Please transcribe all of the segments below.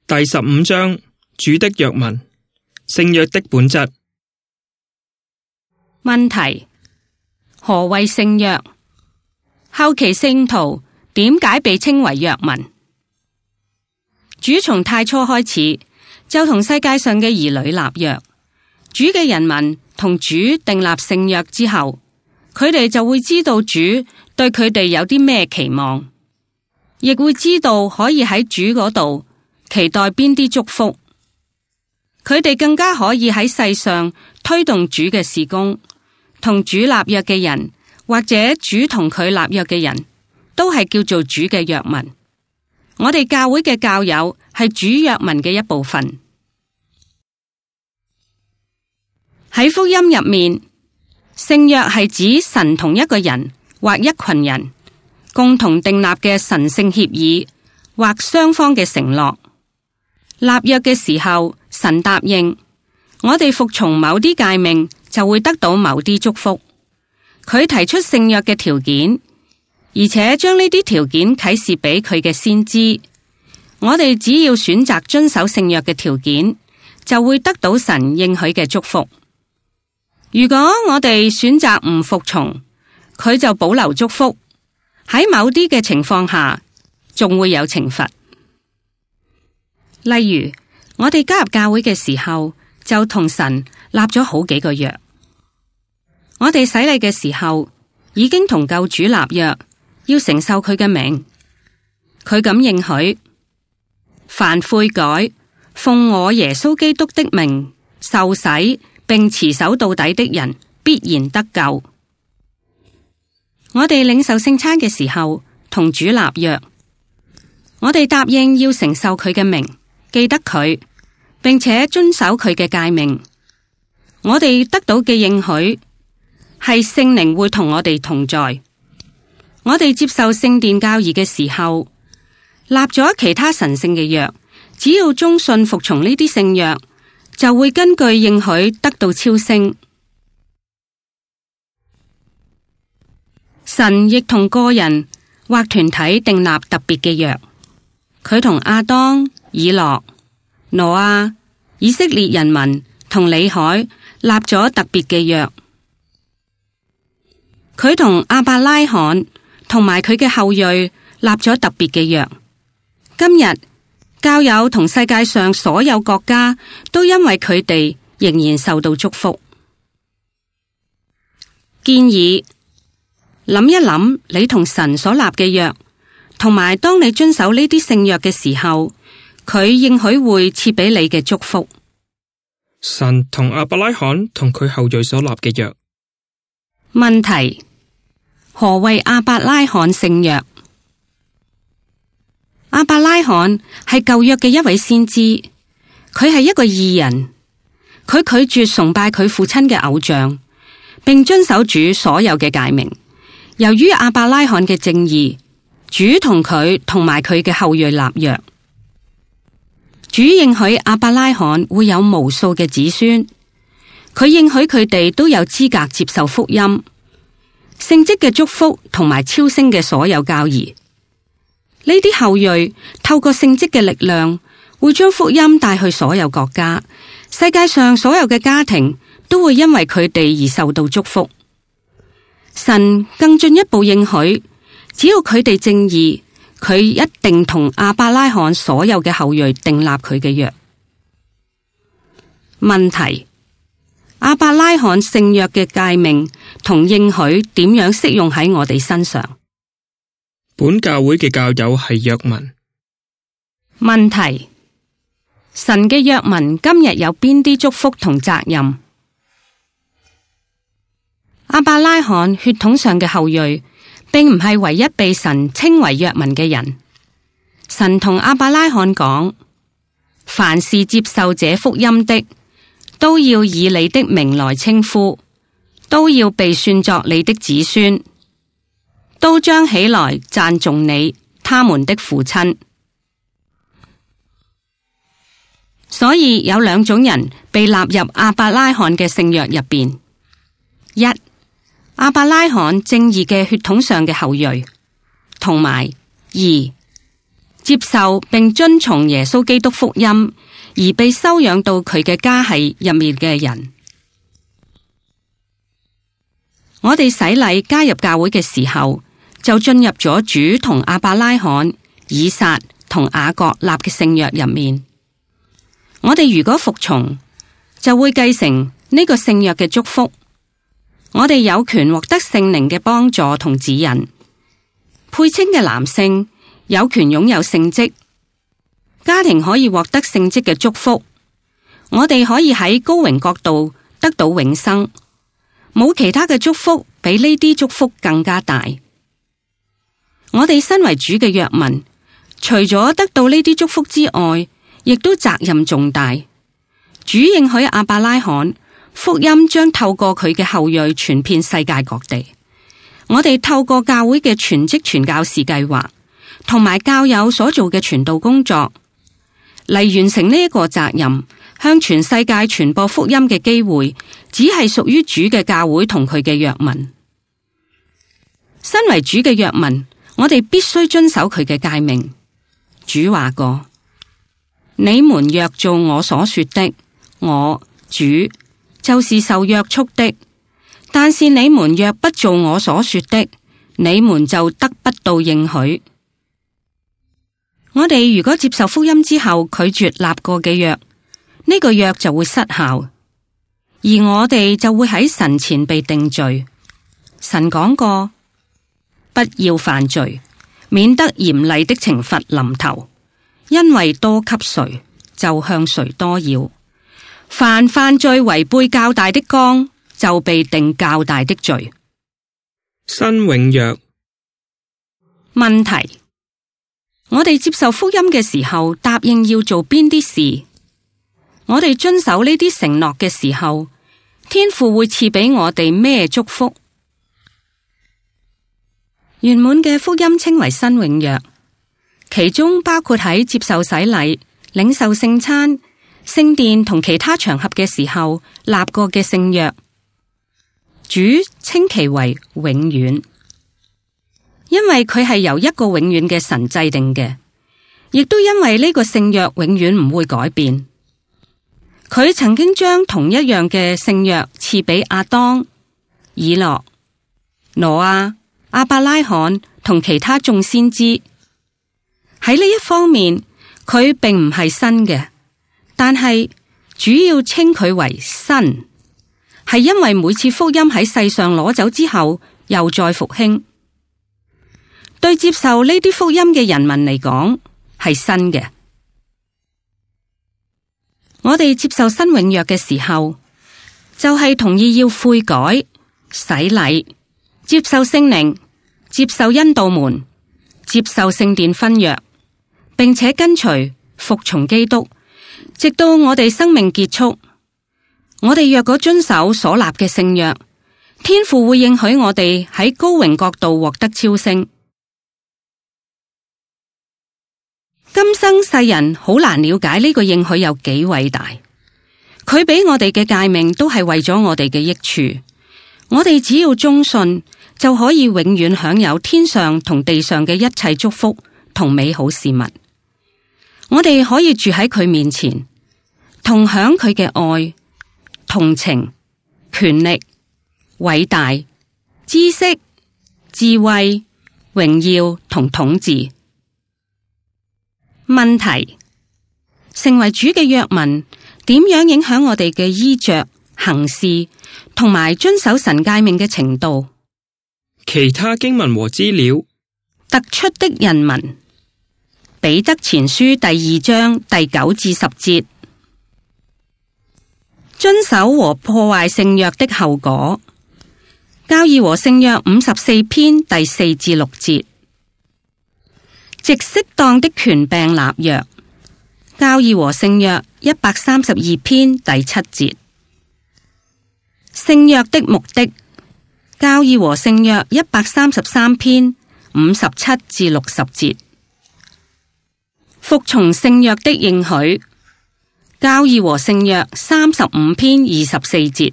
第15章，主的約文，聖約的本質。問題：何謂聖約？後期聖徒點解被稱為約民？主從太初開始就同世界上嘅兒女立約，主嘅人民同主訂立聖約之後，佢哋就會知道主對佢哋有啲咩期望，亦會知道可以喺主嗰度期待邊啲祝福。佢哋更加可以喺世上推動主嘅事工。同主立約嘅人，或者主同佢立約嘅人，都係叫做主嘅約民。我哋教會嘅教友係主約民嘅一部分。喺福音入面，聖約係指神同一個人或一群人共同訂立嘅神聖協議或雙方嘅承諾。立約嘅時候，神答應我哋服從某啲誡命，就會得到某啲祝福。佢提出聖約嘅條件，而且將呢啲條件啟示俾佢嘅先知。我哋只要選擇遵守聖約嘅條件，就會得到神應許嘅祝福。如果我哋選擇唔服從，佢就保留祝福。喺某啲嘅情況下，仲會有懲罰。例如，我哋加入教會嘅時候，就同神立咗好幾個約。我哋洗禮嘅時候，已經同救主立約，要承受佢嘅名。佢咁應許：凡悔改，奉我耶穌基督的名受洗，並持守到底的人，必然得救。我哋領受聖餐嘅時候，同主立約。我哋答應要承受佢嘅名，記得佢，並且遵守佢嘅誡命。我哋得到嘅應許係聖靈會同我哋同在。我哋接受聖殿教義嘅時候，立咗其他神聖嘅約，只要忠信服從呢啲聖約，就會根據應許得到超升。神亦同個人或團體訂立特別嘅約。佢同亞當、以諾、挪亞、以色列人民同李海立咗特別嘅約。佢同亞伯拉罕同埋佢嘅後裔立咗特別嘅約。今日教友同世界上所有國家都因為佢哋仍然受到祝福。建議諗一諗你同神所立嘅約，同埋當你遵守呢啲聖約嘅時候，佢應許會賜俾你嘅祝福。神同亞伯拉罕同佢後裔所立嘅約。問題：何謂亞伯拉罕聖約？亞伯拉罕係舊約嘅一位先知，佢係一個義人，佢拒絕崇拜佢父親嘅偶像，並遵守主所有嘅誡命。由於亞伯拉罕嘅正義，主同佢同埋佢嘅後裔立約。主應許亞伯拉罕會有無數嘅子孫，佢應許佢哋都有資格接受福音、聖職嘅祝福同埋超升嘅所有教義。呢啲後裔透過聖職嘅力量，會將福音帶去所有國家，世界上所有嘅家庭都會因為佢哋而受到祝福。神更進一步應許，只要佢哋正義，佢一定同亞伯拉罕所有嘅後裔訂立佢嘅約。問題：亞伯拉罕聖約嘅誡命同應許點樣適用喺我哋身上？本教會嘅教友係約民。問題：神嘅約民今日有邊啲祝福同責任？亞伯拉罕血統上嘅後裔，並唔係唯一被神稱為約民嘅人。神同亞伯拉罕講：凡是接受這福音的，都要以你的名來稱呼，都要被算作你的子孫，都將起來讚頌你，他們的父親。所以有兩種人被納入亞伯拉罕嘅聖約入邊：一、亞伯拉罕正義嘅血統上嘅後裔，同埋二、接受並遵從耶穌基督福音而被收養到佢嘅家系入面嘅人。我哋洗禮加入教會嘅時候，就進入咗主同亞伯拉罕、以撒同雅各立嘅聖約入面。我哋如果服從，就會繼承呢個聖約嘅祝福。我哋有權獲得聖靈嘅幫助同指引。配稱嘅男性有權擁有聖職，家庭可以獲得聖職嘅祝福。我哋可以喺高榮國度得到永生。冇其他嘅祝福比呢啲祝福更加大。我哋身為主嘅約民，除咗得到呢啲祝福之外，亦都責任重大。主應許亞伯拉罕，福音將透過佢嘅後裔傳遍世界各地。我哋透過教會嘅全職傳教士計劃，同埋教友所做嘅傳道工作，嚟完成呢一個責任，向全世界傳播福音嘅機會，只係屬於主嘅教會同佢嘅約民。身為主嘅約民，我哋必須遵守佢嘅誡命。主話過：你們若做我所說的，我主就是受約束的；但是你們若不做我所說的，你們就得不到應許。我哋如果接受福音之後拒絕立過嘅約，呢個約就會失效，而我哋就會喺神前被定罪。神講過：不要犯罪，免得嚴厲的懲罰臨頭，因為多給誰，就向誰多要。凡犯罪違背較大的綱，就被定較大的罪。新永約。問題：我哋接受福音嘅時候，答應要做邊啲事？我哋遵守呢啲承諾嘅時候，天父會賜俾我哋咩祝福？圓滿嘅福音稱為新永約，其中包括喺接受洗禮、領受聖餐、聖殿同其他場合嘅時候立過嘅聖約。主稱其為永遠，因為佢係由一個永遠嘅神制定嘅，亦都因為呢個聖約永遠唔會改變。佢曾經將同一樣嘅聖約賜俾亞當、以諾、挪亞、亞伯拉罕同其他眾先知。喺呢一方面，佢並唔係新嘅，但係主要稱佢為新，係因為每次福音喺世上攞走之後，又再復興。對接受呢啲福音嘅人民嚟講，係新嘅。我哋接受新永約嘅時候，就係同意要悔改、洗禮、接受聖靈、接受恩道門、接受聖殿婚約，並且跟隨服從基督，直到我哋生命結束。我哋若果遵守所立嘅聖約，天父會應許我哋喺高榮國度獲得超升。今生世人好難了解呢個應許有幾偉大，佢俾我哋嘅誡命都係為咗我哋嘅益處，我哋只要忠信就可以永遠享有天上同地上嘅一切祝福同美好事物。我哋可以住喺佢面前，同享佢嘅愛、同情、權力、偉大、知識、智慧、榮耀同統治。問題：成為主嘅約民，點樣影響我哋嘅衣着、行事同埋遵守神誡命嘅程度？其他經文和資料：突出的人民，彼得前書第2章第9至10節。遵守和破壞聖約的後果，教義和聖約54篇第4至6節。藉適當的權柄立約，教義和聖約132篇第7節。聖約的目的，教義和聖約133篇57至60節。服從聖約的應許，教義和聖約35篇24節。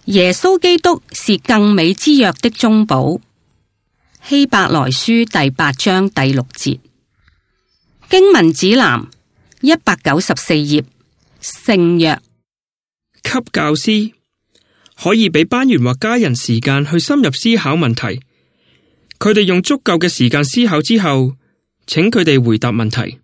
耶穌基督是更美之約的中保。希伯來書第8章第6節。經文指南194頁，聖約。給教師可以俾班員或家人時間去深入思考問題，佢哋用足夠嘅時間思考之後，請佢哋回答問題。